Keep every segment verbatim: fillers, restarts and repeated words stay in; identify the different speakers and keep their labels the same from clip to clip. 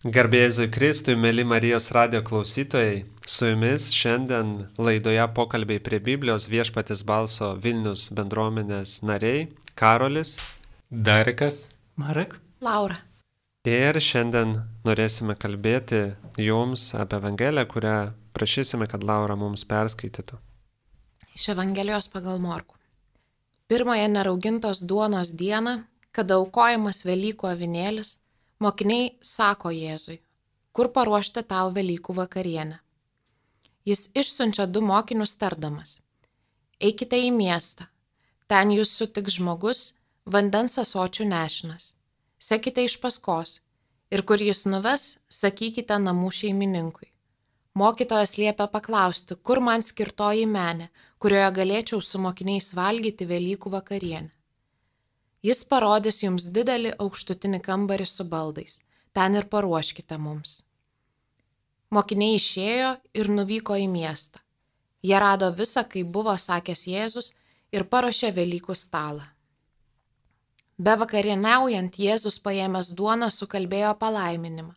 Speaker 1: Garbė Jėzui Kristui, mėly Marijos radijo klausytojai, su jumis šiandien laidoje pokalbiai prie Biblijos Viešpaties balso Vilnius bendruomenės nariai Karolis,
Speaker 2: Darikas,
Speaker 3: Marek,
Speaker 4: Laura.
Speaker 1: Ir šiandien norėsime kalbėti jums apie Evangeliją, kurią prašysime, kad Laura mums perskaitytų.
Speaker 4: Iš Evangelijos pagal Morkų. Pirmąją neraugintos duonos dieną, kada aukojamas Velykų avinėlis, mokiniai sako Jėzui, kur paruošti tau Velykų vakarienę. Jis išsiunčia du mokinius tardamas. Eikite į miestą, ten jūs sutiks žmogus, vandens ąsočių nešinas. Sekite iš paskos ir kur jis nuves, sakykite namų šeimininkui. Mokytojas liepia paklausti, kur man skirtoji menė, kurioje galėčiau su mokiniais valgyti Velykų vakarienę. Jis parodys jums didelį aukštutinį kambarį su baldais. Ten ir paruoškite mums. Mokiniai išėjo ir nuvyko į miestą. Jie rado visą, kaip buvo sakęs Jėzus, ir paruošė Velykų stalą. Be vakarieniaujant, Jėzus paėmęs duoną sukalbėjo palaiminimą.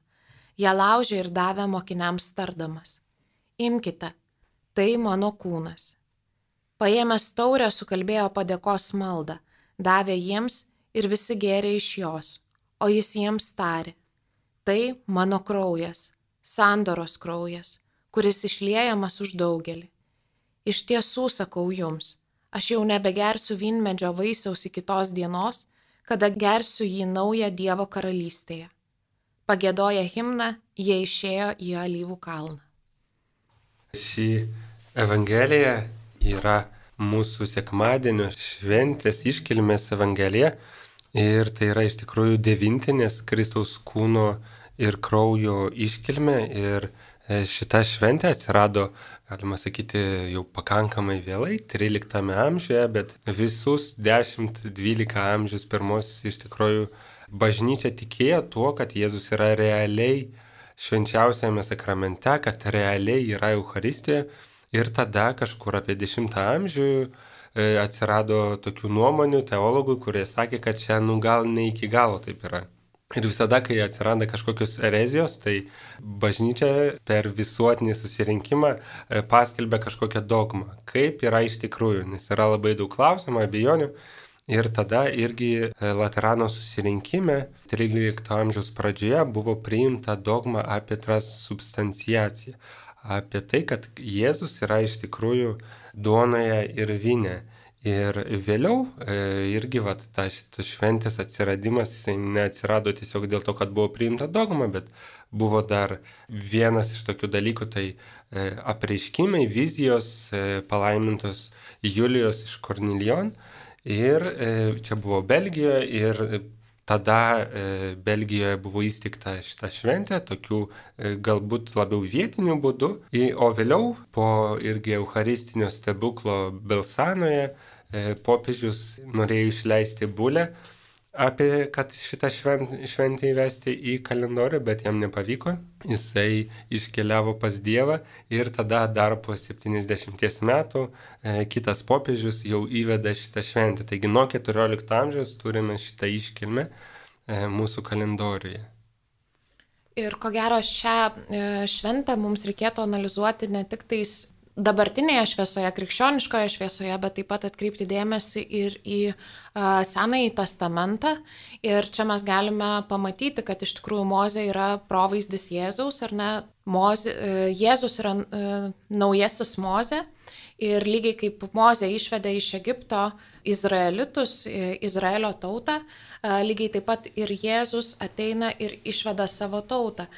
Speaker 4: Ją laužė ir davė mokiniams tardamas. Imkite, tai mano kūnas. Paėmęs taurę sukalbėjo padėkos maldą. Davė jiems ir visi gėrė iš jos, o jis jiems tarė. Tai mano kraujas, sandoros kraujas, kuris išliejamas už daugelį. Iš tiesų sakau jums, aš jau nebegersiu vynmedžio vaisiaus iki tos dienos, kada gersiu jį naują Dievo karalystėje. Pagiedoję himną, jie išėjo į Alyvų kalną.
Speaker 2: Ši Evangelija yra mūsų sekmadienio šventės iškilmės Evangelija ir tai yra iš tikrųjų devintinės Kristaus kūno ir kraujo iškilmė ir šita šventė atsirado, galima sakyti, jau pakankamai vėlai, tryliktame amžiuje, bet visus dešimt dvylika amžius pirmos iš tikrųjų bažnyčia tikėjo tuo, kad Jėzus yra realiai švenčiausiame sakramente, kad realiai yra Eucharistijoje. Ir tada kažkur apie dešimtą amžių atsirado tokių nuomonių teologų, kurie sakė, kad čia nu gal ne iki galo taip yra. Ir visada, kai atsiranda kažkokios erezijos, tai bažnyčia per visuotinį susirinkimą paskelbia kažkokią dogmą, kaip yra iš tikrųjų, nes yra labai daug klausimų, abejonių. Ir tada irgi Laterano susirinkime trylikto amžiaus pradžioje buvo priimta dogma apie transubstanciaciją. Apie tai, kad Jėzus yra iš tikrųjų duonoje ir vyne. Ir vėliau e, irgi vat, ta, ta šventės atsiradimas, jisai neatsirado tiesiog dėl to, kad buvo priimta dogma, bet buvo dar vienas iš tokių dalykų, tai e, apreiškimai, vizijos e, palaimintos Julijos iš Kornilijon. Ir e, čia buvo Belgijoje ir tada e, Belgijoje buvo įsteigta šita šventė, tokių e, galbūt labiau vietinių būdų, o vėliau po irgi eucharistinio stebuklo Belsanoje e, popiežius norėjo išleisti bulę apie, kad šitą švent, šventę įvesti į kalendorių, bet jam nepavyko. Jisai iškeliavo pas Dievą ir tada dar po septyniasdešimties metų e, kitas popiežius jau įveda šitą šventę. Taigi nuo keturiolikto amžiaus turime šitą iškilmę e, mūsų kalendoriuje.
Speaker 4: Ir ko gero šią e, šventę mums reikėtų analizuoti ne tik tais dabartinėje šviesoje, krikščioniškoje šviesoje, bet taip pat atkreipti dėmesį ir į a, Senąjį testamentą. Ir čia mes galime pamatyti, kad iš tikrųjų Mozė yra provaizdis Jėzaus, ar ne? Mozė, e, Jėzus yra e, naujasis Mozė. Ir lygiai kaip Mozė išvedė iš Egipto izraelitus, e, Izraelio tautą, e, lygiai taip pat ir Jėzus ateina ir išveda savo tautą.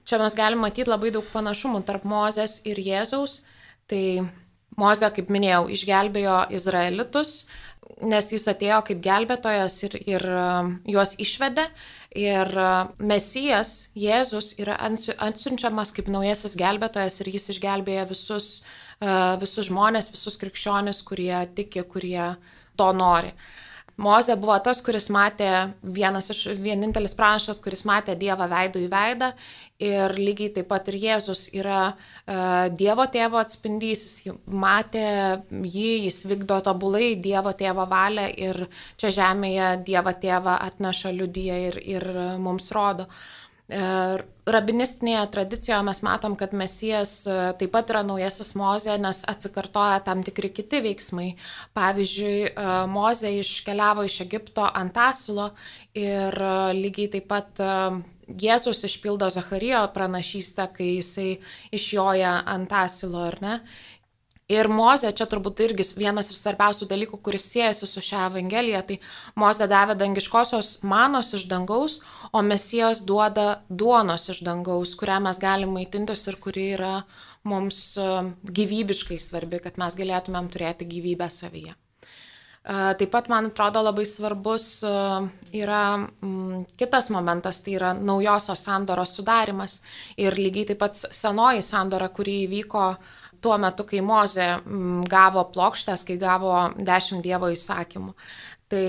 Speaker 4: Čia mes galime matyti labai daug panašumų tarp Mozės ir Jėzaus. Tai Mozė, kaip minėjau, išgelbėjo izraelitus, nes jis atėjo kaip gelbėtojas ir, ir juos išvedė. Ir Mesijas, Jėzus, yra atsiunčiamas kaip naujasis gelbėtojas ir jis išgelbėja visus, visus žmonės, visus krikščionis, kurie tiki, kurie to nori. Mozė buvo tas, kuris matė, vienas iš vienintelis pranašas, kuris matė Dievą veidų į veidą, ir lygiai taip pat ir Jėzus yra uh, Dievo tėvo atspindys, jis matė jį, jis vykdo tobulai Dievo tėvo valią ir čia žemėje Dievą tėvą atneša liudija ir, ir mums rodo. Rabinistinėje tradicijoje mes matom, kad Mesijas taip pat yra naujasis Mozė, nes atsikartoja tam tikri kiti veiksmai. Pavyzdžiui, Mozė iškeliavo iš Egipto ant asilo ir lygiai taip pat Jėzus išpildo Zacharijo pranašystę, kai jisai išjoja ant asilo, ar ne? Ir Mozė, čia turbūt irgi vienas iš svarbiausių dalykų, kuris siejasi su šią Evangeliją, tai Mozė davė dangiškosios manos iš dangaus, o Mesijas duoda duonos iš dangaus, kurią mes galime maitintis ir kuri yra mums gyvybiškai svarbi, kad mes galėtumėm turėti gyvybę savyje. Taip pat, man atrodo, labai svarbus yra kitas momentas, tai yra naujosios sandoros sudarimas ir lygiai taip pat senoji sandora, kuri įvyko tuo metu, kai Mozė gavo plokštes, kai gavo dešimt Dievo įsakymų. Tai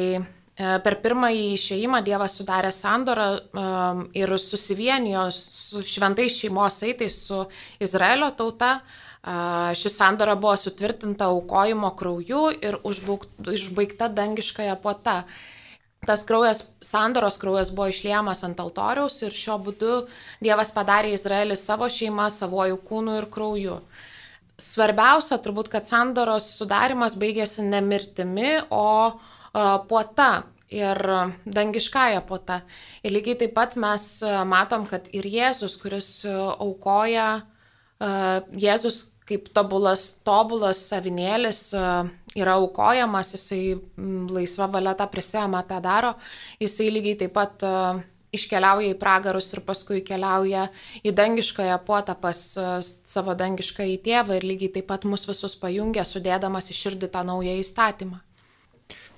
Speaker 4: per pirmąjį išėjimą Dievas sudarė sandorą ir susivienijo su šventais šeimos saitais su Izraelio tauta. Ši sandora buvo sutvirtinta aukojimo krauju ir užbaigta dangiškąja puota. Tas kraujas, sandoros kraujas buvo išliejamas ant altoriaus ir šiuo būdu Dievas padarė Izraelį savo šeimą, savojų kūnų ir krauju. Svarbiausia turbūt, kad sandoros sudarimas baigėsi ne mirtimi, o puota ir dangiškąja puota. Ir lygiai taip pat mes matom, kad ir Jėzus, kuris aukoja, Jėzus kaip tobulas, tobulas avinėlis yra aukojamas, jisai laisva valia tą prisėma, tą daro, jisai lygiai taip pat iškeliauja į pragarus ir paskui keliauja į dangiškąją puotą pas savo dangiškąjį tėvą ir lygiai taip pat mus visus pajungia, sudėdamas į širdį tą naują įstatymą.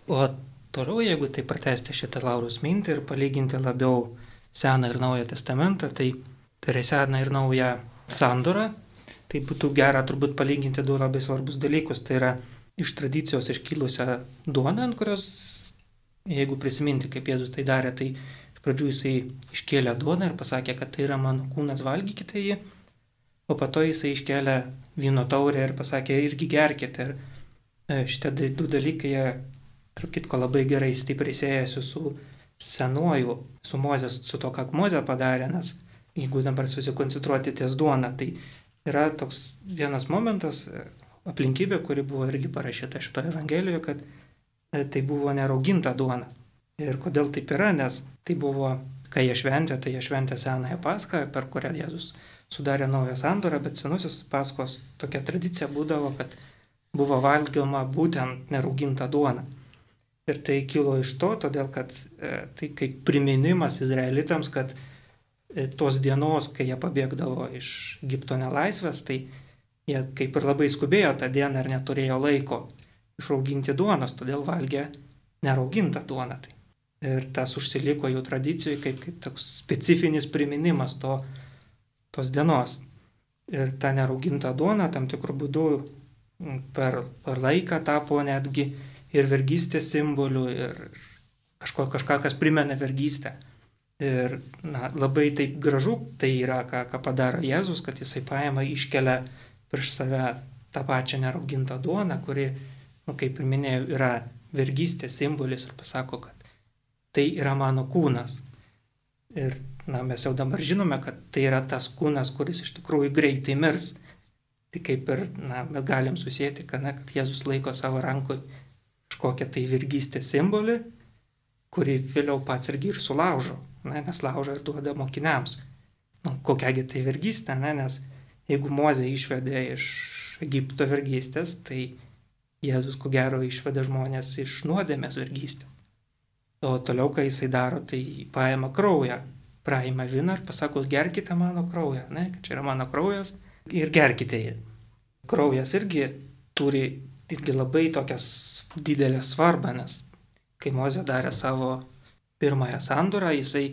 Speaker 3: O toliau, jeigu tai pratęsti šitą Lauros mintį ir palyginti labiau Seną ir Naują testamentą, tai tai yra Seną ir Naują sandorą, tai būtų gera turbūt palyginti du labai svarbus dalykus. Tai yra iš tradicijos iškilusią duoną, ant kurios, jeigu prisiminti, kaip Jėzus tai darė, tai pradžių jisai iškėlė duoną ir pasakė, kad tai yra mano kūnas, valgykite jį, o po to jisai iškėlė vyno taurę ir pasakė, irgi gerkite. Ir šitie du dalykai, jie, tarp kitko, labai gerai stipriai siejasi su senuoju, su Mozės, su to, ką Mozė padarė, nes jeigu dabar susikoncentruoti ties duoną, tai yra toks vienas momentas, aplinkybė, kuri buvo irgi parašyta šitoje Evangelijoje, kad tai buvo nerauginta duona. Ir kodėl taip yra, nes tai buvo, kai jie šventė, tai jie šventė Senąją Paschą, per kurią Jėzus sudarė naują sandorą, bet senusis Paschos tokia tradicija būdavo, kad buvo valgoma būtent nerauginta duona. Ir tai kilo iš to, todėl kad e, tai kaip priminimas izraelitams, kad e, tos dienos, kai jie pabėgdavo iš Egipto nelaisvės, tai jie kaip ir labai skubėjo tą dieną ir neturėjo laiko išrauginti duonos, todėl valgė neraugintą duoną. Tai. Ir tas užsiliko jų tradicijai kaip, kaip toks specifinis priminimas to, tos dienos. Ir ta nerauginta duona tam tikrų būdų per, per laiką tapo netgi ir vergystės simboliu, ir kažko, kažką, kas primena vergystę. Ir na, labai taip gražu tai yra, ką, ką padaro Jėzus, kad jisai paima, iškelia prieš save tą pačią neraugintą duoną, kuri, nu, kaip ir minėjau, yra vergystės simbolis ir pasako, kad tai yra mano kūnas. Ir na, mes jau dabar žinome, kad tai yra tas kūnas, kuris iš tikrųjų greitai mirs. Tai kaip ir na, mes galim susėti, kad, na, kad Jėzus laiko savo rankoje kažkokią tai vergystės simbolį, kurį vėliau pats irgi ir sulaužo, na, nes laužo ir duoda mokiniams. Nu, kokiagi tai vergystė, ne? Nes jeigu Mozė išvedė iš Egipto vergystės, tai Jėzus ko gero išvedė žmonės iš nuodėmės vergystės. O toliau, kai jisai daro, tai paima kraują, praima vyną ir pasako, gerkite mano kraują, ne, kad čia yra mano kraujas ir gerkite jį. Kraujas irgi turi irgi labai tokias didelę svarbą, nes kai Mozė darė savo pirmąją sandorą, jisai,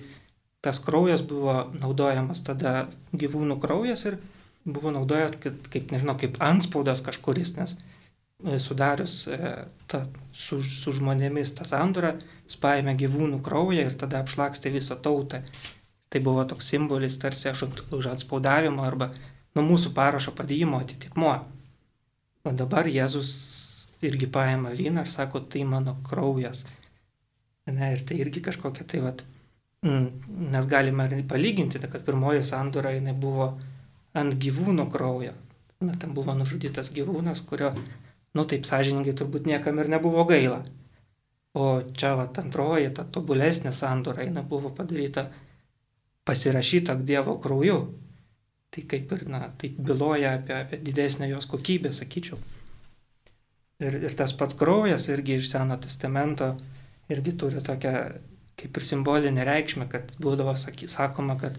Speaker 3: tas kraujas buvo naudojamas tada gyvūnų kraujas ir buvo naudojamas kaip, kaip nežinau, kaip antspaudas kažkuris, nes sudarius ta, su, su žmonėmis tą sandorą, jis paėmė gyvūnų kraują ir tada apšlakstė visą tautą. Tai buvo toks simbolis tarsi už atspaudavimo arba nuo mūsų parašo padėjimo atitikmuo. O dabar Jėzus irgi paėmė vyną ir sako, tai mano kraujas. Ne, ir tai irgi kažkokia tai vat, Nes galime palyginti, kad pirmoji sandora jinai buvo ant gyvūno kraujo. Na, ten buvo nužudytas gyvūnas, kurio, nu taip sąžiningai, turbūt niekam ir nebuvo gaila. O čia va, antroji, ta tobulesnė sandora, jinai buvo padaryta, pasirašyta Dievo krauju. Tai kaip ir, na, taip byloja apie, apie didesnę jos kokybę, sakyčiau. Ir, ir tas pats kraujas irgi iš Seno testamento irgi turi tokią kaip ir simbolinę reikšmę, kad būdavo saky, sakoma, kad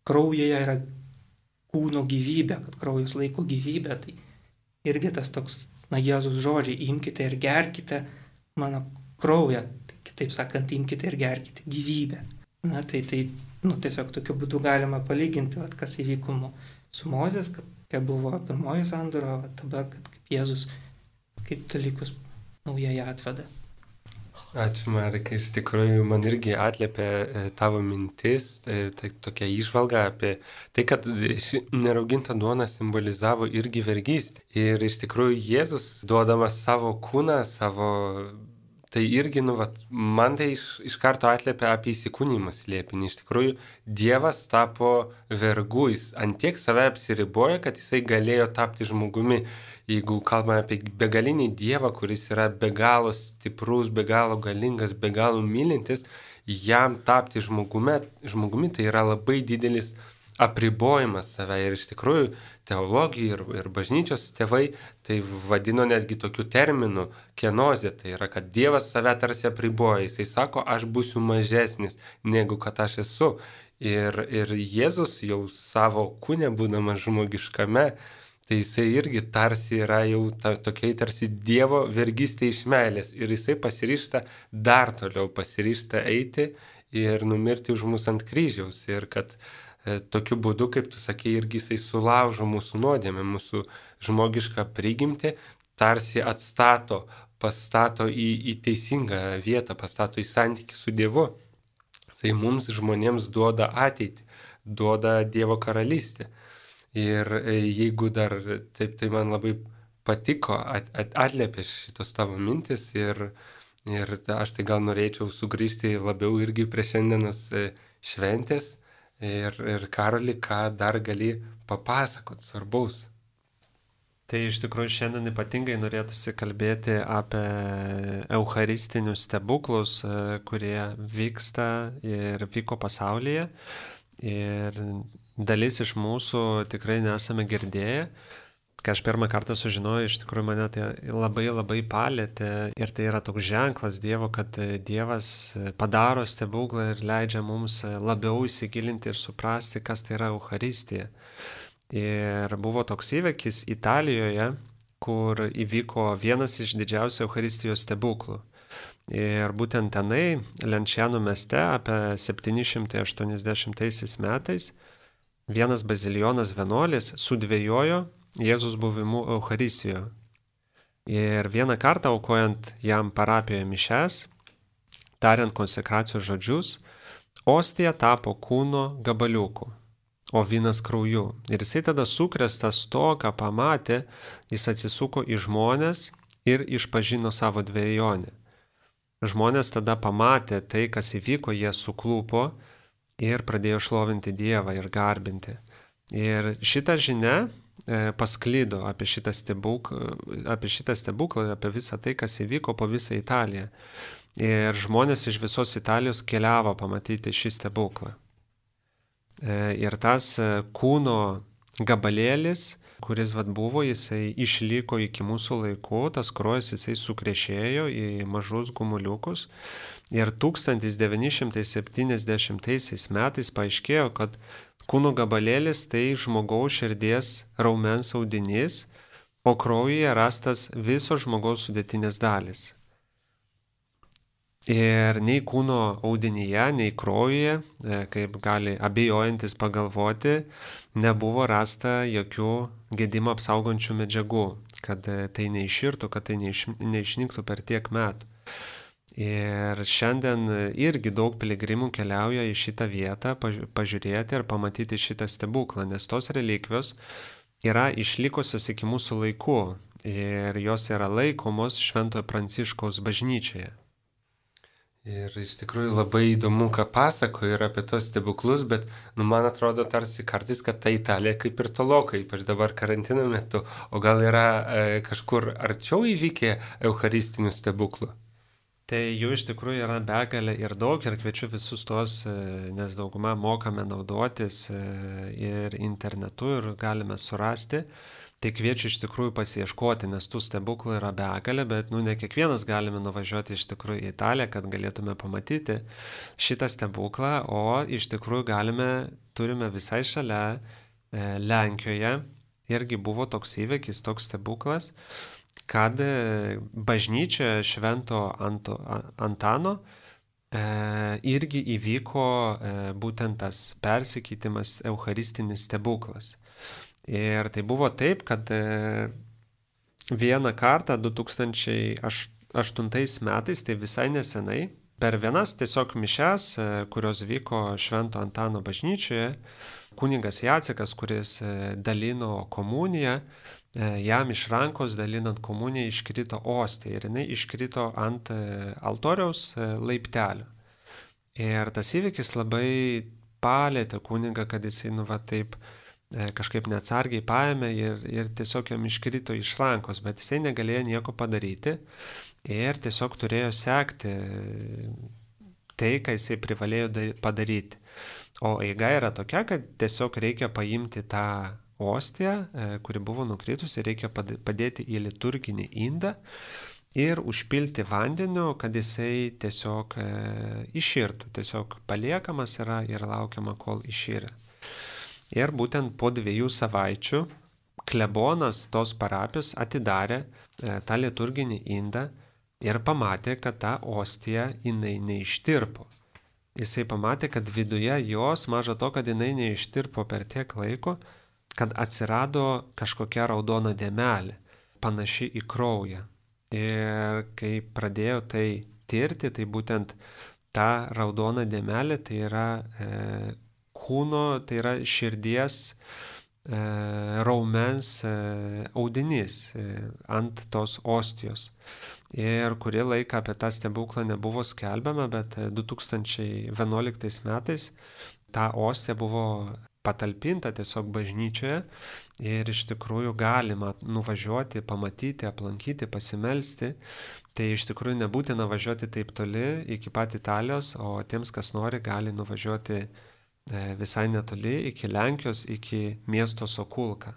Speaker 3: kraujyje yra kūno gyvybė, kad kraujas laiko gyvybę. Tai irgi tas toks, na, Jėzus žodžiai, imkite ir gerkite mano kraują. Tai, kitaip sakant, imkite ir gerkite gyvybę. Na, tai, tai nu, tiesiog tokiu būdu galima palyginti, vat, kas įvyko su Mozės, kad kai buvo pirmoji sandora, o dabar, kad kaip Jėzus kaip dalykus naujai atveda.
Speaker 2: Ačiū, Marikai, iš tikrųjų man irgi atliepė tavo mintis, tai, tai tokia įžvalga apie tai, kad ši nerauginta duona simbolizavo irgi vergystę. Ir iš tikrųjų Jėzus, duodamas savo kūną, savo, tai irgi, nu, vat, man tai iš, iš karto atliepė apie įsikūnymą slėpinį. Iš tikrųjų, Dievas tapo vergu, jis antiek save apsiribojo, kad jisai galėjo tapti žmogumi. Jeigu kalbame apie begalinį Dievą, kuris yra be galo stiprus, be galo galingas, be galo mylintis, jam tapti žmogumi, žmogumi tai yra labai didelis apribojimas save. Ir iš tikrųjų teologija ir, ir bažnyčios tėvai tai vadino netgi tokiu terminu kenozė. Tai yra, kad Dievas save tarsi apriboja. Jisai sako, aš būsiu mažesnis negu kad aš esu. Ir, ir Jėzus jau savo kūne, būdamas žmogiškame, tai jisai irgi tarsi yra jau ta, tokiai tarsi Dievo vergystė iš meilės. Ir jisai pasiryžta dar toliau, pasiryžta eiti ir numirti už mus ant kryžiaus. Ir kad e, tokiu būdu, kaip tu sakei, irgi jisai sulaužo mūsų nuodėmę, mūsų žmogišką prigimtį, tarsi atstato, pastato į, į teisingą vietą, pastato į santykį su Dievu. Tai mums žmonėms duoda ateitį, duoda Dievo karalystę. Ir jeigu dar taip, tai man labai patiko, at, at, atliepė šitos tavo mintis ir, ir aš tai gal norėčiau sugrįžti labiau irgi prie šiandienos šventės ir, ir Karoli, ką dar gali papasakot svarbaus.
Speaker 1: Tai iš tikrųjų šiandien ypatingai norėtųsi kalbėti apie eucharistinius stebuklus, kurie vyksta ir vyko pasaulyje. Ir dalis iš mūsų tikrai nesame girdėję. Kai aš pirmą kartą sužinojau, iš tikrųjų mane tai labai labai palėtė. Ir tai yra toks ženklas Dievo, kad Dievas padaro stebuklą ir leidžia mums labiau įsigilinti ir suprasti, kas tai yra Eucharistija. Ir buvo toks įvykis Italijoje, kur įvyko vienas iš didžiausių Eucharistijos stebuklų. Ir būtent tenai, Lenciano mieste, apie septyni šimtai aštuoniasdešimtaisiais metais, vienas bazilijonas vienuolis sudvejojo Jėzus buvimu Eucharistijoje. Ir vieną kartą aukojant jam parapijoje mišes, tariant konsekracijos žodžius, ostija tapo kūno gabaliuku, o vynas krauju. Ir jisai tada sukrėstas to, ką pamatė, jis atsisuko į žmones ir išpažino savo dvejonę. Žmonės tada pamatė tai, kas įvyko, jie suklūpo ir pradėjo šlovinti Dievą ir garbinti. Ir šita žinia e, pasklido apie šitą stebuklą, apie šitą stebuklą, apie visą tai, kas įvyko po visą Italiją. Ir žmonės iš visos Italijos keliavo pamatyti šį stebuklą. E, ir tas kūno gabalėlis, kuris vat buvo, jisai išliko iki mūsų laikų, tas kraujas jisai sukrešėjo į mažus gumuliukus. Ir tūkstantis devyni šimtai septyniasdešimtaisiais metais paaiškėjo, kad kūno gabalėlis tai žmogaus širdies raumens audinys, o kraujyje rastas visos žmogaus sudėtinės dalys. Ir nei kūno audinyje, nei kraujyje, kaip gali abejojantis pagalvoti, nebuvo rasta jokių gedimą apsaugančių medžiagų, kad tai neiširtų, kad tai neiš, neišnyktų per tiek metų. Ir šiandien irgi daug piligrimų keliauja į šitą vietą pažiūrėti ir pamatyti šitą stebuklą, nes tos relikvijos yra išlikusios iki mūsų laikų ir jos yra laikomos Šventojo Pranciškaus bažnyčioje.
Speaker 2: Ir iš tikrųjų labai įdomu, ką pasako ir apie tos stebuklus, bet nu, man atrodo tarsi kartais, kad ta Italija kaip ir tolokai, ypač dabar karantino metu, o gal yra e, kažkur arčiau įvykę eucharistinių stebuklų?
Speaker 1: Tai jų iš tikrųjų yra begalė ir daug ir kviečiu visus tos, nes daugumą mokame naudotis ir internetu ir galime surasti. Tai kviečiu iš tikrųjų pasiieškoti, nes tų stebuklų yra begalė, bet nu, ne kiekvienas galime nuvažiuoti iš tikrųjų į Italiją, kad galėtume pamatyti šitą stebuklą, o iš tikrųjų galime, turime visai šalia e, Lenkijoje, irgi buvo toks įvykis, toks stebuklas, kad bažnyčioje Švento Anto, Antano e, irgi įvyko e, būtent tas persikeitimas, eucharistinis stebuklas. Ir tai buvo taip, kad vieną kartą du tūkstančiai aštuntais metais, tai visai nesenai, per vienas tiesiog mišes, kurios vyko Švento Antano bažnyčioje, kunigas Jacekas, kuris dalino komuniją, jam iš rankos dalinant komuniją iškrito ostija ir jinai iškrito ant altoriaus laiptelio. Ir tas įvykis labai palėtė kunigą, kad jisai, nu va taip, kažkaip neatsargiai paėmė ir, ir tiesiog jam iškrito iš rankos, bet jisai negalėjo nieko padaryti ir tiesiog turėjo sekti tai, ką jisai privalėjo padaryti. O eiga yra tokia, kad tiesiog reikia paimti tą ostiją, kuri buvo nukritusi, reikia padėti į liturginį indą ir užpilti vandeniu, kad jisai tiesiog iširtų, tiesiog paliekamas yra ir laukiama, kol išyra. Ir būtent po dviejų savaičių klebonas tos parapijos atidarė e, tą liturginį indą ir pamatė, kad ta ostija jinai neištirpo. Jisai pamatė, kad viduje jos, maža to, kad jinai neištirpo per tiek laiko, kad atsirado kažkokia raudona dėmelė, panaši į kraują. Ir kai pradėjo tai tirti, tai būtent ta raudona dėmelė tai yra e, kūno, tai yra širdies e, raumens e, audinys e, ant tos ostijos. Ir kurį laiką apie tą stebuklą nebuvo skelbiama, bet du tūkstančiai vienuoliktais metais ta ostija buvo patalpinta tiesiog bažnyčioje ir iš tikrųjų galima nuvažiuoti, pamatyti, aplankyti, pasimelsti. Tai iš tikrųjų nebūtina važiuoti taip toli iki pat Italijos, o tiems, kas nori, gali nuvažiuoti visai netoli, iki Lenkijos, iki miesto Sokulka.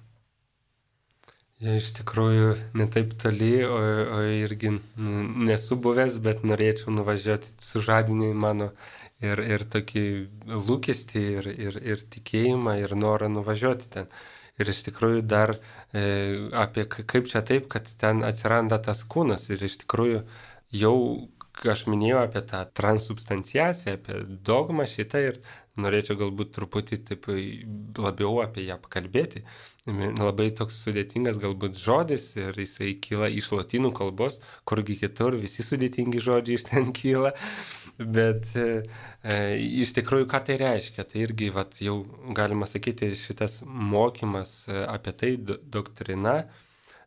Speaker 2: Ja, iš tikrųjų ne taip toli, o, o irgi nesu buvęs, bet norėčiau nuvažiuoti, sužadinį mano ir, ir tokį lūkestį, ir, ir, ir tikėjimą, ir norą nuvažiuoti ten. Ir iš tikrųjų dar e, apie kaip čia taip, kad ten atsiranda tas kūnas. Ir iš tikrųjų jau aš minėjau apie tą transubstanciaciją, apie dogmą šitą ir norėčiau galbūt truputį taip labiau apie ją pakalbėti. Labai toks sudėtingas galbūt žodis ir jisai kyla iš lotynų kalbos, kurgi kitur visi sudėtingi žodžiai iš ten kyla. Bet e, iš tikrųjų, ką tai reiškia? Tai irgi vat, jau galima sakyti šitas mokymas apie tai, doktrina,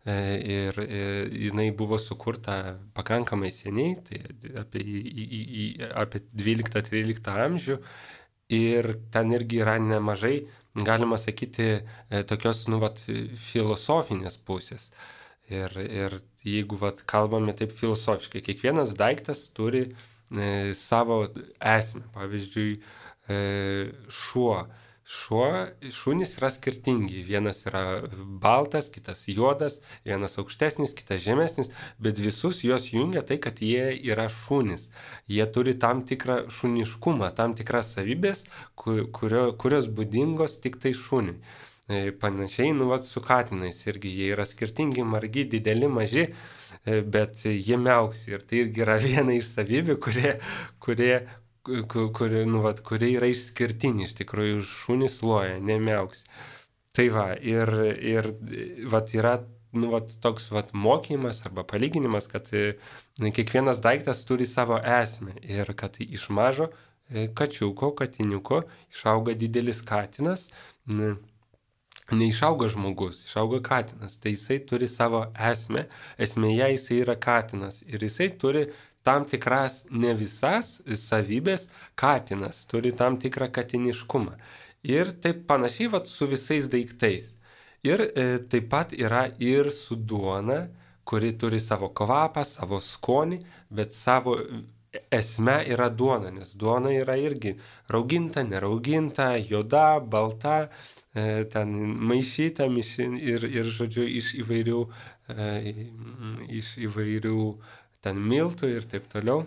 Speaker 2: e, ir e, jinai buvo sukurta pakankamai seniai, tai apie, į, į, į, apie dvyliktą tryliktą amžių. Ir ten irgi yra nemažai, galima sakyti, tokios, nu, vat, filosofinės pusės. Ir, ir jeigu, vat, kalbame taip filosofiškai, kiekvienas daiktas turi e, savo esmę. Pavyzdžiui, e, šuo. Šuo, šunys yra skirtingi. Vienas yra baltas, kitas juodas, vienas aukštesnis, kitas žemesnis, bet visus juos jungia tai, kad jie yra šunys. Jie turi tam tikrą šuniškumą, tam tikras savybės, kurio, kurios būdingos tik tai šuniui. Panašiai, nu, vat, su katinais irgi jie yra skirtingi, margi, dideli, maži, bet jie miauksi. Ir tai irgi yra viena iš savybių, kurie, kurie kuri, nu, vat, kuri yra išskirtinė, iš tikrųjų šunys loja, nemiauks. Tai va, ir, ir vat, yra nu, vat, toks vat, mokymas arba palyginimas, kad na, kiekvienas daiktas turi savo esmę ir kad iš mažo kačiuko, katiniuko išauga didelis katinas, ne, neišauga žmogus, išauga katinas. Tai jisai turi savo esmę, esmėje jisai yra katinas ir jisai turi tam tikras, ne visas savybės, katinas turi tam tikrą katiniškumą. Ir taip panašiai vat, su visais daiktais. Ir e, taip pat yra ir su duona, kuri turi savo kvapą, savo skonį, bet savo esme yra duona, nes duona yra irgi rauginta, nerauginta, juoda, balta, e, ten maišyta mišin, ir, ir, žodžiu, iš įvairių, e, iš įvairių ten miltų ir taip toliau.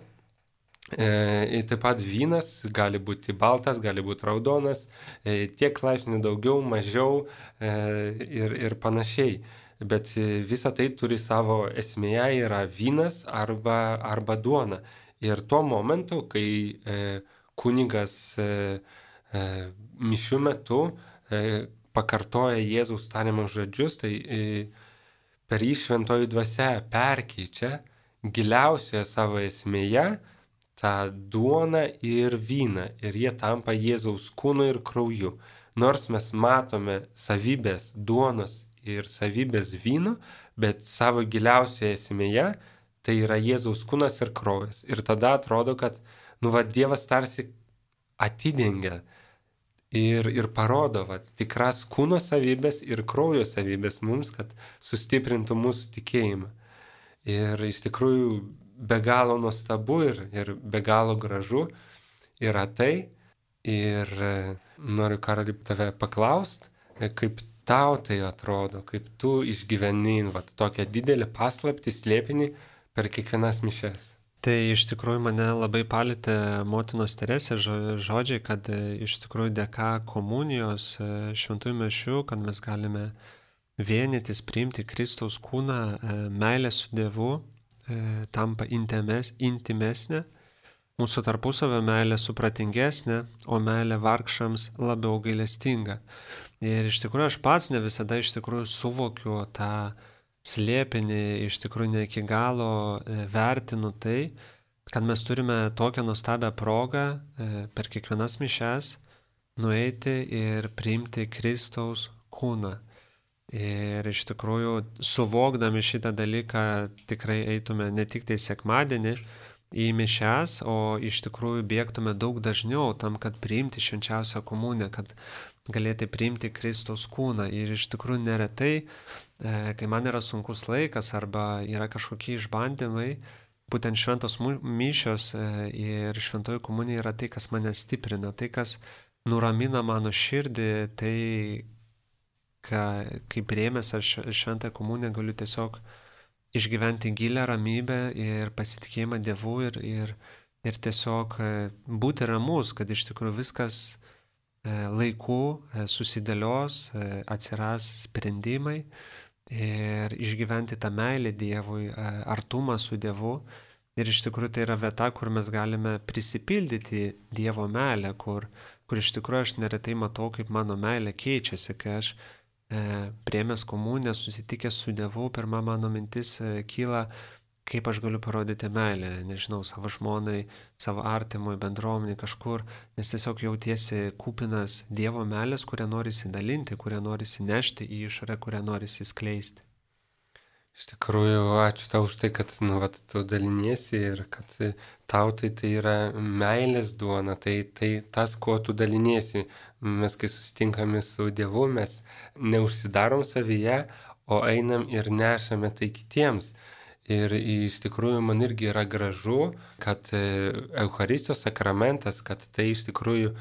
Speaker 2: E, taip pat vynas gali būti baltas, gali būti raudonas, e, tiek laipsnių daugiau, mažiau e, ir, ir panašiai. Bet visa tai turi savo esmėje yra vynas arba, arba duona. Ir tuo momentu, kai e, kunigas e, e, mišių metu e, pakartoja Jėzaus tariamus žodžius, tai e, per jį šventoji dvasia perkeičia giliausioje savo esmėje tą duoną ir vyną, ir jie tampa Jėzaus kūnu ir krauju. Nors mes matome savybės duonos ir savybės vyno, bet savo giliausioje esmėje tai yra Jėzaus kūnas ir kraujas. Ir tada atrodo, kad nu, va, Dievas tarsi atidengia ir, ir parodo va, tikras kūno savybės ir kraujo savybės mums, kad sustiprintų mūsų tikėjimą. Ir iš tikrųjų be galo nuostabu ir, ir be galo gražu yra tai. Ir noriu, Karoli, tave paklaust, kaip tau tai atrodo, kaip tu išgyveni va, tokią didelį paslaptį, slėpinį per kiekvienas mišes.
Speaker 1: Tai iš tikrųjų mane labai palėtė motinos Teresės žodžiai, kad iš tikrųjų dėka komunijos šventųjų mišių, kad mes galime vienytis, priimti Kristaus kūną, meilę su Dievu, tampa intimes, intimesnė, mūsų tarpusavio meilė supratingesnė, o meilė vargšams labiau gailestinga. Ir iš tikrųjų aš pats ne visada iš tikrųjų suvokiu tą slėpinį, iš tikrųjų ne iki galo vertinu tai, kad mes turime tokią nuostabią progą per kiekvienas mišes nueiti ir priimti Kristaus kūną. Ir iš tikrųjų, suvokdami šitą dalyką, tikrai eitume ne tik tai sekmadienį į mišes, o iš tikrųjų bėgtume daug dažniau tam, kad priimti švenčiausią komuniją, kad galėti priimti Kristaus kūną. Ir iš tikrųjų neretai, kai man yra sunkus laikas arba yra kažkokie išbandymai, būtent šventos mišios ir šventoji komunija yra tai, kas mane stiprina, tai, kas nuramina mano širdį, tai kai priėmęs aš šventąją komuniją galiu tiesiog išgyventi gilią ramybę ir pasitikėjimą Dievu ir, ir, ir tiesiog būti ramus, kad iš tikrųjų viskas laiku susidėlios, atsiras sprendimai ir išgyventi tą meilę Dievui, artumą su Dievu. Ir iš tikrųjų tai yra vieta, kur mes galime prisipildyti Dievo meilę, kur, kur iš tikrųjų aš neretai matau, kaip mano meilė keičiasi, kai aš priėmęs komuniją, susitikęs su Dievu, pirma mano mintis kyla, kaip aš galiu parodyti meilę, nežinau, savo žmonai, savo artimui, bendruomeniai kažkur, nes tiesiog jautiesi kupinas Dievo meilės, kurią norisi dalinti, kurią norisi nešti į išorę, kurią norisi skleisti.
Speaker 2: Iš tikrųjų, ačiū tau už tai, kad nu, vat, tu daliniesi ir kad tau tai, tai yra meilės duona, tai, tai tas, kuo tu daliniesi. Mes, kai susitinkame su Dievu, mes neužsidarom savyje, o einam ir nešame tai kitiems. Ir iš tikrųjų man irgi yra gražu, kad Eucharistijos sakramentas, kad tai iš tikrųjų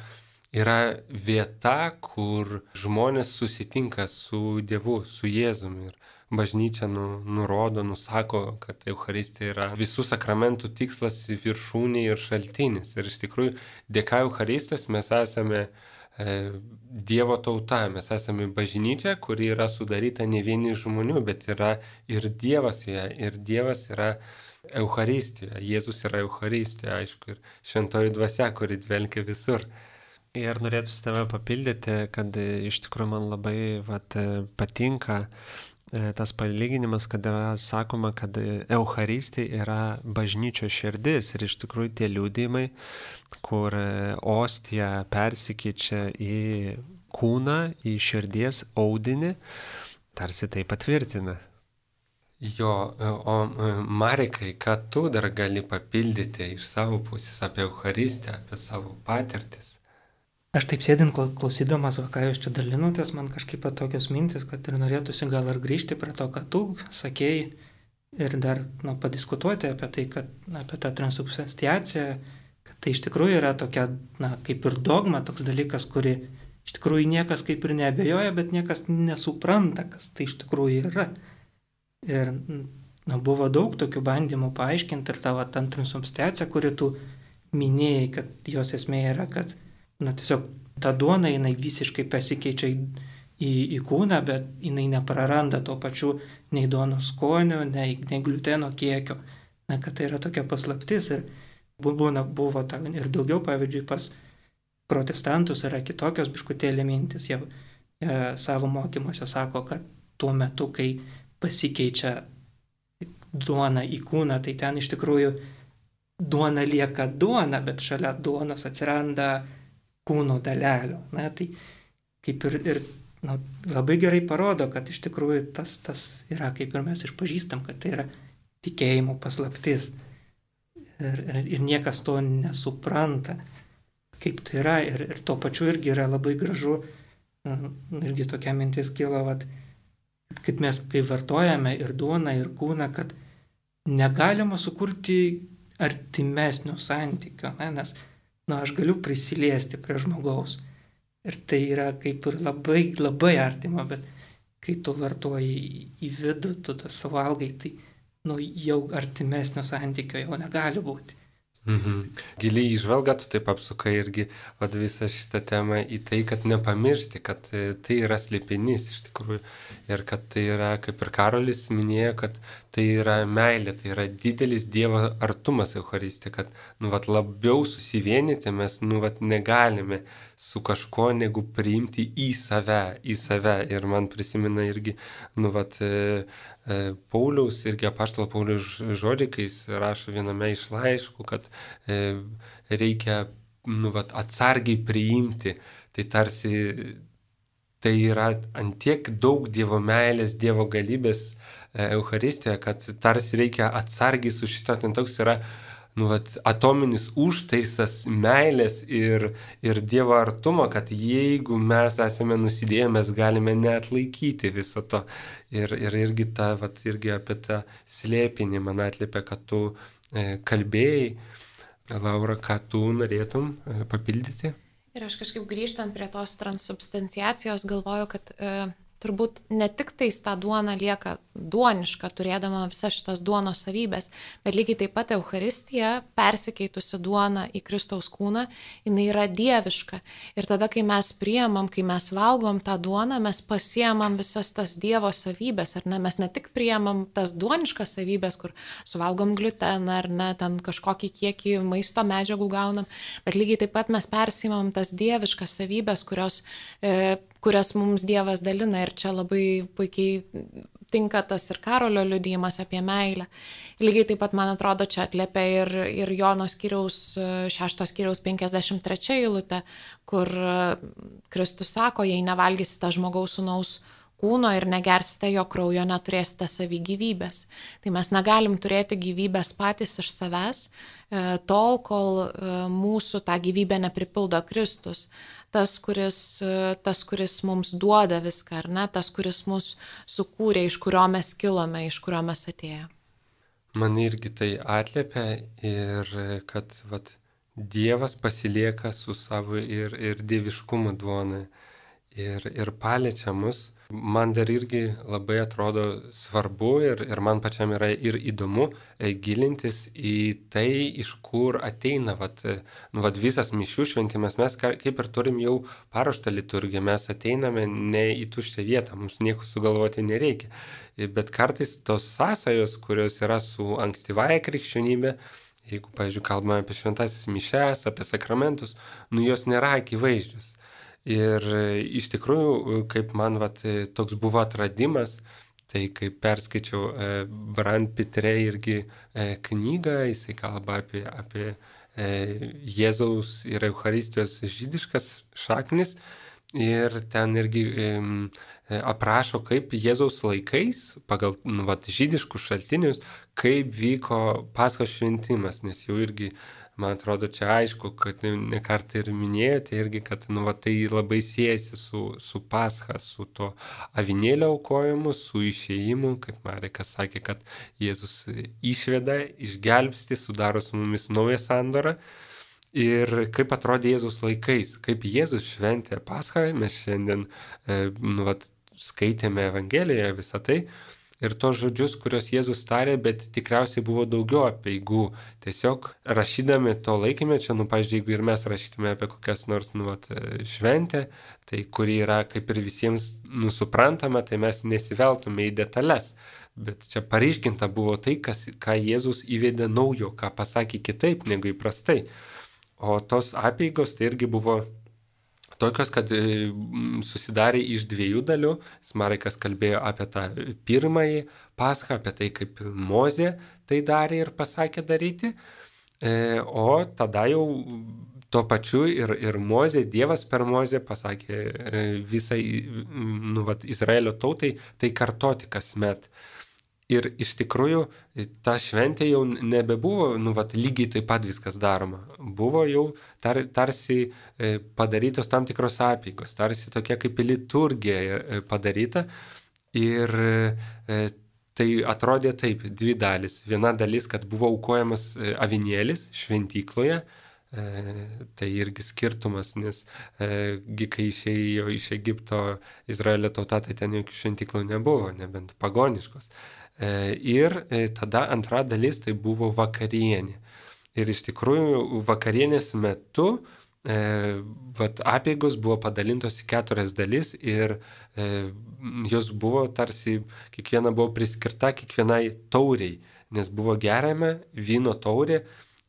Speaker 2: yra vieta, kur žmonės susitinka su Dievu, su Jėzumi. Ir bažnyčia nu, nurodo, nusako, kad Eucharistija yra visų sakramentų tikslas, viršūnė ir šaltinis. Ir iš tikrųjų, dėka Eucharistijos mes esame e, Dievo tauta, mes esame bažnyčia, kuri yra sudaryta ne vieni žmonių, bet yra ir Dievas joje, ir Dievas yra Eucharistijoje, Jėzus yra Eucharistijoje, aišku, ir šventoji dvasia, kuri dvelkia visur.
Speaker 1: Ir norėtų tave papildyti, kad iš tikrųjų man labai vat, patinka tas palyginimas, kad yra sakoma, kad Eucharistija yra bažnyčios širdis ir iš tikrųjų tie liudijimai, kur ostija persikeičia į kūną, į širdies audinį, tarsi tai patvirtina.
Speaker 2: Jo, o Marekai, ką tu dar gali papildyti iš savo pusės apie Eucharistiją, apie savo patirtis?
Speaker 3: Aš taip sėdint klausydamas, va, ką jūs čia dalinotės, man kažkaip tokios mintis, kad ir norėtųsi gal ir grįžti prie to, ką tu sakėjai ir dar nu, padiskutuoti apie tai, kad na, apie tą transubstanciaciją, kad tai iš tikrųjų yra tokia, na, kaip ir dogma, toks dalykas, kuri iš tikrųjų niekas kaip ir neabejoja, bet niekas nesupranta, kas tai iš tikrųjų yra. Ir na, buvo daug tokių bandymų paaiškinti ir tavo tą transubstanciaciją, kuri tu minėjai, kad jos esmė yra, kad na, tiesiog ta duona jinai visiškai pasikeičia į, į, į kūną, bet jinai nepraranda to pačiu nei duonos skonio, nei, nei gluteno kiekio. Na, kad tai yra tokia paslaptis ir buvo, buvo ta, ir daugiau, pavyzdžiui, pas protestantus yra kitokios biškutėlė mintis. Jie e, savo mokymuose sako, kad tuo metu, kai pasikeičia duona į kūną, tai ten iš tikrųjų duona lieka duona, bet šalia duonos atsiranda kūno dalelių. Na, tai kaip ir, ir na, labai gerai parodo, kad iš tikrųjų tas, tas yra, kaip ir mes išpažįstam, kad tai yra tikėjimo paslaptis. Ir, ir, ir niekas to nesupranta, kaip tai yra. Ir, ir tuo pačiu irgi yra labai gražu, irgi tokia mintis kilo, vat, kad mes kai vartojame ir duoną, ir kūną, kad negalima sukurti artimesnio santykio, ne? Nes na, aš galiu prisiliesti prie žmogaus ir tai yra kaip ir labai, labai artima, bet kai tu vartoji į vidų, tu tą suvalgai, tai nu, jau artimesnio santykio jau negali būti.
Speaker 2: Mhm. Giliai įžvelgia, tu taip apsukai irgi vat, visą šitą temą į tai, kad nepamiršti, kad tai yra slėpinys iš tikrųjų ir kad tai yra, kaip ir Karolis minėjo, kad tai yra meilė, tai yra didelis Dievo artumas Eucharistija, kad nu, vat, labiau susivienyti mes nu, vat, negalime su kažko, negu priimti į save, į save. Ir man prisimena irgi nu, vat, Pauliaus, irgi apaštalo Pauliaus žodžiai, kai jis rašo viename iš laiškų, kad e, reikia nu, vat, atsargiai priimti. Tai tarsi tai yra antiek daug Dievo meilės, Dievo galybės e, Eucharistijoje, kad tarsi reikia atsargiai su šito, ten toks yra nu, vat, atominis užtaisas meilės ir, ir Dievo artumo, kad jeigu mes esame nusidėję, mes galime neatlaikyti viso to. Ir, ir irgi, ta, vat, irgi apie tą slėpinį man atliepia, kad tu e, kalbėjai. Laura, ką tu norėtum e, papildyti?
Speaker 4: Ir aš kažkaip grįžtant prie tos transubstanciacijos galvoju, kad e, turbūt ne tik tais ta duona lieka duoniška, turėdama visas šitas duonos savybės, bet lygiai taip pat Eucharistija, persikeitusi duona į Kristaus kūną, jinai yra dieviška. Ir tada, kai mes priemam, kai mes valgom tą duoną, mes pasiemam visas tas Dievo savybės, ar ne? Mes ne tik priemam tas duoniškas savybės, kur suvalgom gliuteną, ar ne, ten kažkokį kiekį maisto medžiagų gaunam, bet lygiai taip pat mes persimam tas dieviškas savybės, kurios e, kurias mums Dievas dalina ir čia labai puikiai tinka tas ir Karolio liudijimas apie meilę. Lygiai taip pat, man atrodo, čia atliepia ir, ir Jono skyriaus, šešto skyriaus penkiasdešimt trečia eilutė, kur Kristus sako, jei nevalgysite žmogaus sūnaus kūno ir negersite jo kraujo, neturėsite savy gyvybės. Tai mes negalim turėti gyvybės patys iš savęs, tol, kol mūsų tą gyvybę nepripildo Kristus. Tas kuris, tas, kuris mums duoda viską, ar ne? Tas, kuris mus sukūrė, iš kurio mes kilome, iš kurio mes atėjome.
Speaker 2: Man irgi tai atliepia ir kad vat, Dievas pasilieka su savo ir, ir dieviškumo duona ir, ir paliečia mus. Man dar irgi labai atrodo svarbu ir, ir man pačiam yra ir įdomu e, gilintis į tai, iš kur ateina vat, nu, vat, visas mišių šventimas. Mes kaip ir turim jau paruoštą liturgiją, mes ateiname ne į tuščią vietą, mums nieko sugalvoti nereikia. Bet kartais tos sąsajos, kurios yra su ankstyvąja krikščionybė, jeigu, pavyzdžiui, kalbame apie šventasis mišes, apie sakramentus, nu jos nėra akivaizdžios. Ir iš tikrųjų, kaip man vat, toks buvo atradimas, tai kai perskaičiau e, Brand Pitre irgi e, knygą, jisai kalba apie, apie e, Jėzaus ir Eucharistijos žydiškas šaknis ir ten irgi aprašo, kaip Jėzaus laikais, pagal nu, vat, žydiškus šaltinius, kaip vyko Paschos šventimas, nes jau irgi, man atrodo, čia aišku, kad ne kartą ir minėjote irgi, kad nu, vat, tai labai siejasi su, su Pascha, su to avinėlio aukojimu, su išėjimu, kaip Marekas sakė, kad Jėzus išveda, išgelbsti, sudaro su mumis naują sandorą. Ir kaip atrodė Jėzus laikais, kaip Jėzus šventė Paschą, mes šiandien e, nu, vat, skaitėme Evangelijoje visą tai ir tos žodžius, kuriuos Jėzus tarė, bet tikriausiai buvo daugiau apeigų. Tiesiog rašydami to laikymečio, nu, pavyzdžiui, jeigu ir mes rašytume apie kokias nors nu, vat, šventę, tai kuri yra kaip ir visiems nusuprantama, tai mes nesiveltume į detalės. Bet čia paryškinta buvo tai, kas, ką Jėzus įvedė naujo, ką pasakė kitaip negu įprastai. O tos apeigos tai irgi buvo tokios, kad susidarė iš dviejų dalių. Marekas kalbėjo apie tą pirmąjį Paschą, apie tai, kaip Mozė tai darė ir pasakė daryti. O tada jau tuo pačiu ir, ir Mozė, Dievas per Mozę pasakė visai nu, vat, Izraelio tautai tai kartoti kasmet. Ir iš tikrųjų ta šventė jau nebebuvo, nu, vat, lygiai taip pat viskas daroma. Buvo jau tar, tarsi padarytos tam tikros apeigos, tarsi tokia kaip liturgija padaryta. Ir tai atrodė taip, dvi dalis. Viena dalis, kad buvo aukojamas avinėlis šventykloje. Tai irgi skirtumas, nes kai išėjo iš Egipto Izraelio tauta, tai ten jokių šventyklų nebuvo, nebent pagoniškos. Ir tada antra dalis tai buvo vakarienė. Ir iš tikrųjų vakarienės metu e, vat, apeigos buvo padalintos į keturias dalis ir e, jos buvo tarsi, kiekviena buvo priskirta kiekvienai tauriai, nes buvo geriama vyno taurė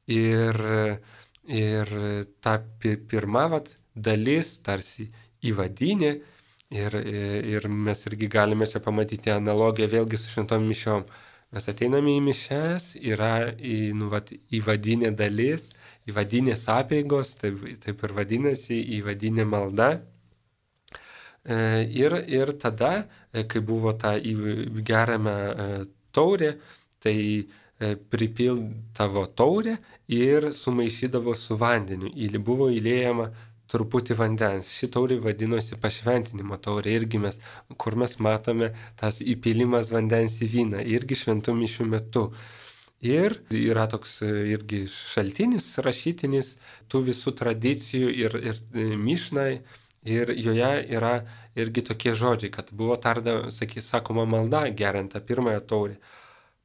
Speaker 2: ir, ir ta pirma vat, dalis tarsi įvadinė. Ir, ir mes irgi galime čia pamatyti analogiją vėlgi su šventom mišiom. Mes ateiname į mišes, yra į, nu, vat, įvadinė dalis, įvadinės apeigos, taip, taip ir vadinasi, įvadinė malda. Ir, ir tada, kai buvo ta geriama taurė, tai pripildavo taurę ir sumaišydavo su vandeniu. Buvo įliejama truputį vandens. Ši taurė vadinosi pašventinimo taurė, irgi mes, kur mes matome tas įpilimas vandens į vyną, irgi šventų mišių metu. Ir yra toks irgi šaltinis rašytinis tų visų tradicijų ir, ir mišnai, ir joje yra irgi tokie žodžiai, kad buvo tarda, sakė, sakoma malda geriant tą pirmąją taurę.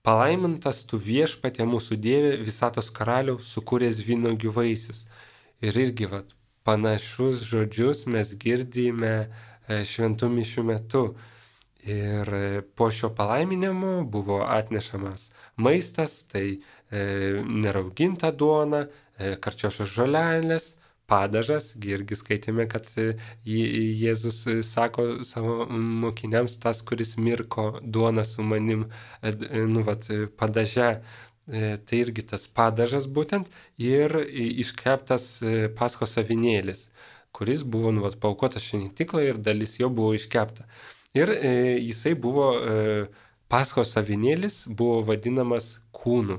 Speaker 2: Palaimintas tu viešpatie mūsų Dieve, visatos karaliau, sukūręs vynuogių vaisius. Ir irgi, vat, panašus žodžius mes girdime šventų mišių metu. Ir po šio palaiminimo buvo atnešamas maistas, tai e, nerauginta duona, e, karčiošos žolelės, padažas. Irgi skaitėme, kad Jėzus sako savo mokiniams, tas, kuris mirko duoną su manim, e, nu, vat, padaže. Tai irgi tas padažas būtent ir iškeptas Paschos avinėlis, kuris buvo nu, paaukotas šventykloje ir dalis jo buvo iškepta. Ir e, jisai buvo, e, Paschos avinėlis buvo vadinamas kūnu.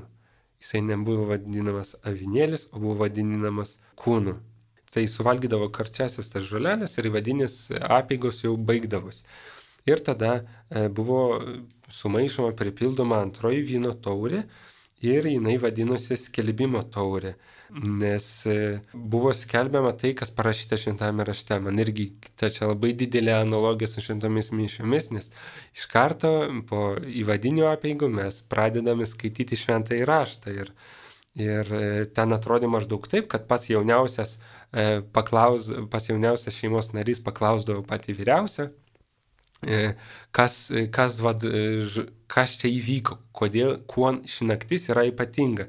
Speaker 2: Jisai nebuvo vadinamas avinėlis, o buvo vadinamas kūnu. Tai suvalgydavo karčiasias tas žolelės ir įvadinės apeigos jau baigdavosi. Ir tada e, buvo sumaišoma, pripildoma antroji vyno taurė. Ir jinai vadinosi skelbimo taurė, nes buvo skelbiama tai, kas parašyta šventame rašte. Man irgi ta čia labai didelė analogija su šventomis mišiomis, nes iš karto po įvadinių apeigų mes pradedame skaityti šventąjį raštą. Ir, ir ten atrodė maždaug taip, kad pas jauniausias, paklaus, pas jauniausias šeimos narys paklausdavo patį vyriausią, Kas, kas, vad, kas čia įvyko, kodėl, kuo ši naktis yra ypatinga.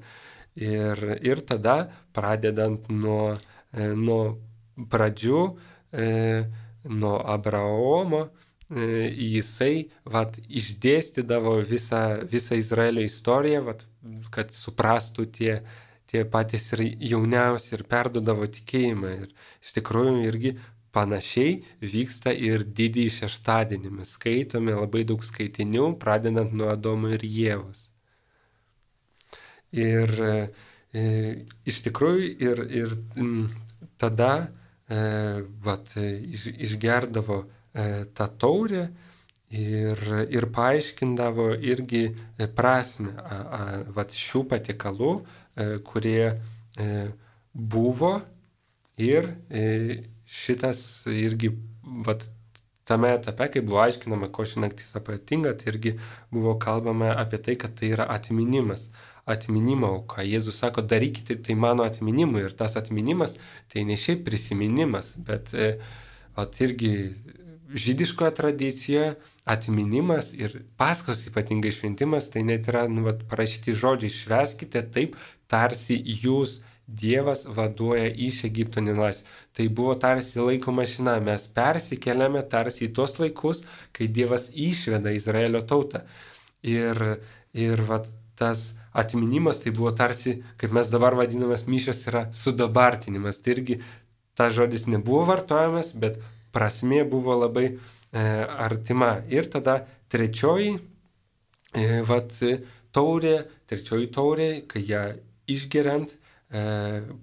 Speaker 2: Ir, ir tada, pradedant nuo, nuo pradžių, nuo Abraomo, jisai vat, išdėstydavo visą, visą Izraelio istoriją, vat, kad suprastų tie, tie patys ir jauniausi ir perdodavo tikėjimą. Ir iš tikrųjų irgi panašiai vyksta ir didįjį šeštadienį. Mes skaitome labai daug skaitinių, pradedant nuo Adomo ir Ievos. Ir e, iš tikrųjų ir, ir m, tada e, vat, iš, išgerdavo e, tą taurę ir, ir paaiškindavo irgi prasme a, a, vat, šių patiekalų, e, kurie e, buvo ir e, šitas irgi vat, tame etape, kai buvo aiškinama, ko ši naktis ypatinga, tai irgi buvo kalbama apie tai, kad tai yra atminimas. Atminimo auka. Jėzus sako, darykite tai mano atminimui. Ir tas atminimas tai ne šiaip prisiminimas, bet e, at irgi žydiškoje tradicijoje atminimas ir Paskos ypatingai šventimas, tai net yra nu, vat, parašyti žodžiai, švęskite taip, tarsi jūs Dievas vaduoja iš Egipto nelaisvės. Tai buvo tarsi laiko mašina. Mes persikeliame tarsi į tos laikus, kai Dievas išveda Izraelio tautą. Ir, ir vat, tas atminimas tai buvo tarsi, kaip mes dabar vadinamas, mišios yra sudabartinimas. Tai irgi tas žodis nebuvo vartojamas, bet prasmė buvo labai e, artima. Ir tada trečioji e, vat, taurė, trečioji taurė, kai ją išgeriant, e,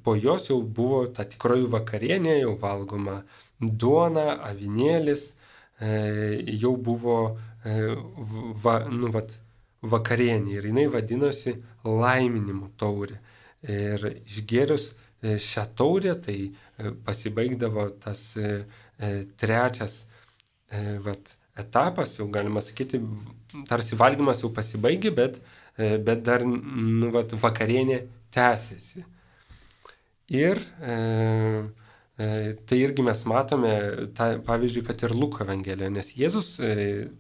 Speaker 2: po jos jau buvo ta tikroji vakarienė, jau valgoma duona, avinėlis, e, jau buvo e, va, nu, vat, vakarienė ir jinai vadinosi laiminimo taurė. Ir išgėrus šią taurę, tai pasibaigdavo tas trečias vat, etapas, jau galima sakyti, tarsi valgymas jau pasibaigė, bet, bet dar nu, vat, vakarienė tęsiasi. Ir e, tai irgi mes matome, ta, pavyzdžiui, kad ir Luko Evangelijoje, nes Jėzus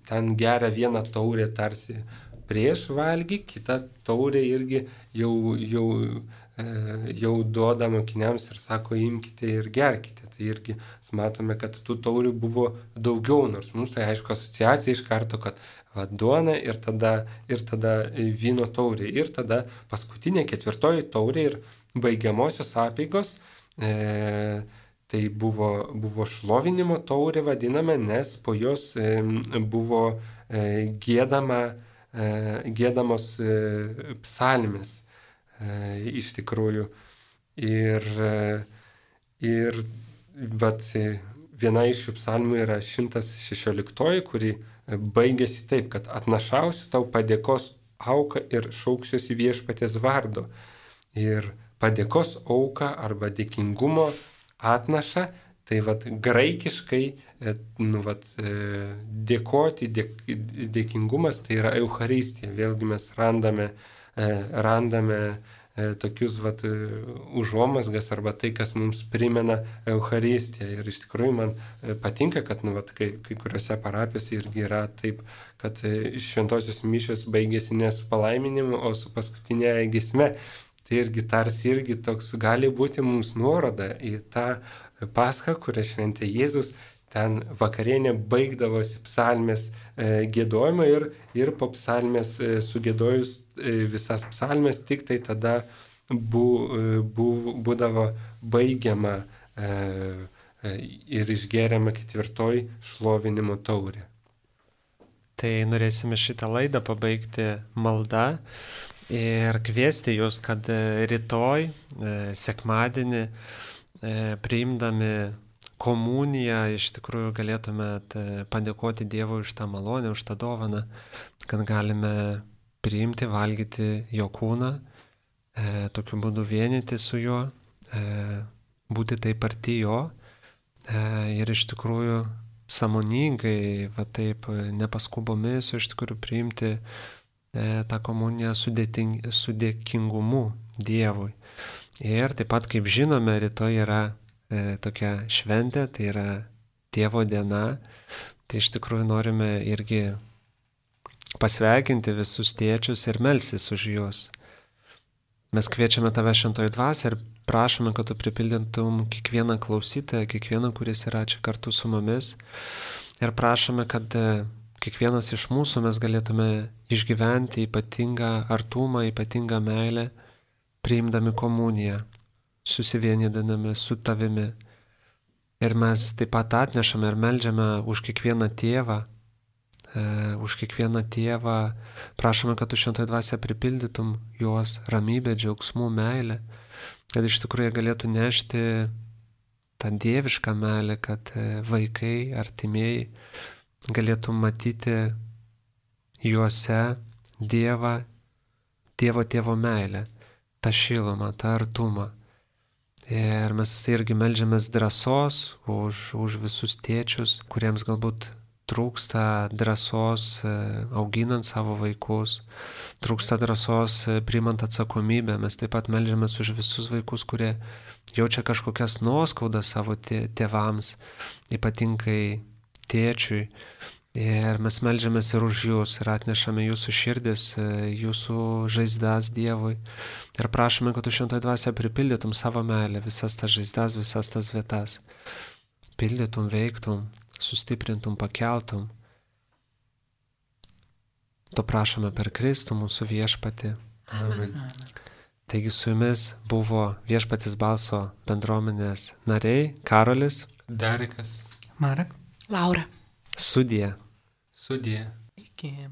Speaker 2: ten geria vieną taurę tarsi prieš valgį, kita taurė irgi jau, jau, jau duoda mokiniams ir sako, imkite ir gerkite. Tai irgi matome, kad tų taurių buvo daugiau, nors mums tai aišku asociacija iš karto, kad va, duona ir tada, ir tada vyno taurė. Ir tada paskutinė ketvirtoji taurė ir baigiamosios apeigos, e, tai buvo, buvo šlovinimo taurė vadinama, nes po jos e, buvo e, gėdama gėdamos psalmės iš tikrųjų. Ir, ir vat, viena iš šių psalmių yra šimtas šešioliktoji, kuri baigėsi taip, kad atnašausiu tau padėkos auką ir šauksiuosi viešpaties vardo. Ir padėkos auką arba dėkingumo atnašą, tai vat, graikiškai nu, vat, dėkoti, dėk, dėkingumas tai yra Eucharistija. Vėlgi mes randame, randame tokius vat, užuomasgas arba tai, kas mums primena Eucharistiją. Ir iš tikrųjų man patinka, kad nu, vat, kai, kai kuriuose parapijose irgi yra taip, kad šventosios mišios baigėsi ne su palaiminimu, o su paskutinė giesme. Tai irgi tarsi irgi toks gali būti mums nuoroda į tą Paschą, kurią šventė Jėzus. Ten vakarienė baigdavosi psalmės e, gėdojimą ir, ir po psalmės e, sugėdojus e, visas psalmės, tik tai tada bu, e, bu, būdavo baigiama e, e, ir išgeriama ketvirtoji šlovinimo taurė.
Speaker 1: Tai norėsime šitą laidą pabaigti malda ir kviesti jūs, kad rytoj, e, sekmadienį, e, priimdami komuniją, iš tikrųjų galėtumėt padėkoti Dievui už tą malonę, už tą dovaną, kad galime priimti, valgyti jo kūną, e, tokiu būdu vienyti su juo, e, būti taip arti jo e, ir iš tikrųjų sąmoningai, va taip nepaskubomis, iš tikrųjų priimti e, tą komuniją su, dėting, su dėkingumu Dievui. Ir taip pat, kaip žinome, rytoj yra tokia šventė, tai yra Tėvo diena, tai iš tikrųjų norime irgi pasveikinti visus tėčius ir melsis už juos. Mes kviečiame tave šventoji dvasia ir prašome, kad tu pripildytum kiekvieną klausytoją, kiekvieną, kuris yra čia kartu su mumis ir prašome, kad kiekvienas iš mūsų mes galėtume išgyventi ypatingą artumą, ypatingą meilę, priimdami komuniją, susivienydami su tavimi. Ir mes taip pat atnešame ir meldžiame už kiekvieną tėvą, e, už kiekvieną tėvą, prašome, kad tu šventoji dvasia pripildytum juos ramybę, džiaugsmų, meilę, kad iš tikrųjų galėtų nešti tą dievišką meilę, kad vaikai, artimieji galėtų matyti juose Dievą, Dievo tėvo meilę, tą šilumą, tą artumą. Ir mes irgi meldžiamės drąsos už, už visus tėčius, kuriems galbūt trūksta drąsos auginant savo vaikus, trūksta drąsos priimant atsakomybę. Mes taip pat meldžiamės už visus vaikus, kurie jaučia kažkokias nuoskaudas savo tėvams, ypatingai tėčiui. Ir mes meldžiamės ir už jūs, ir atnešame jūsų širdis, jūsų žaizdas Dievui. Ir prašome, kad tu šventoji dvasia pripildytum savo meilę, visas tas žaizdas, visas tas vietas. Pildytum, veiktum, sustiprintum, pakeltum. To prašome per Kristų mūsų viešpatį.
Speaker 2: Amen.
Speaker 1: Taigi su jumis buvo Viešpaties balso bendruomenės nariai Karolis,
Speaker 2: Darikas,
Speaker 3: Marek.
Speaker 4: Laura.
Speaker 1: Sudie.
Speaker 2: Sudie.
Speaker 3: Iki.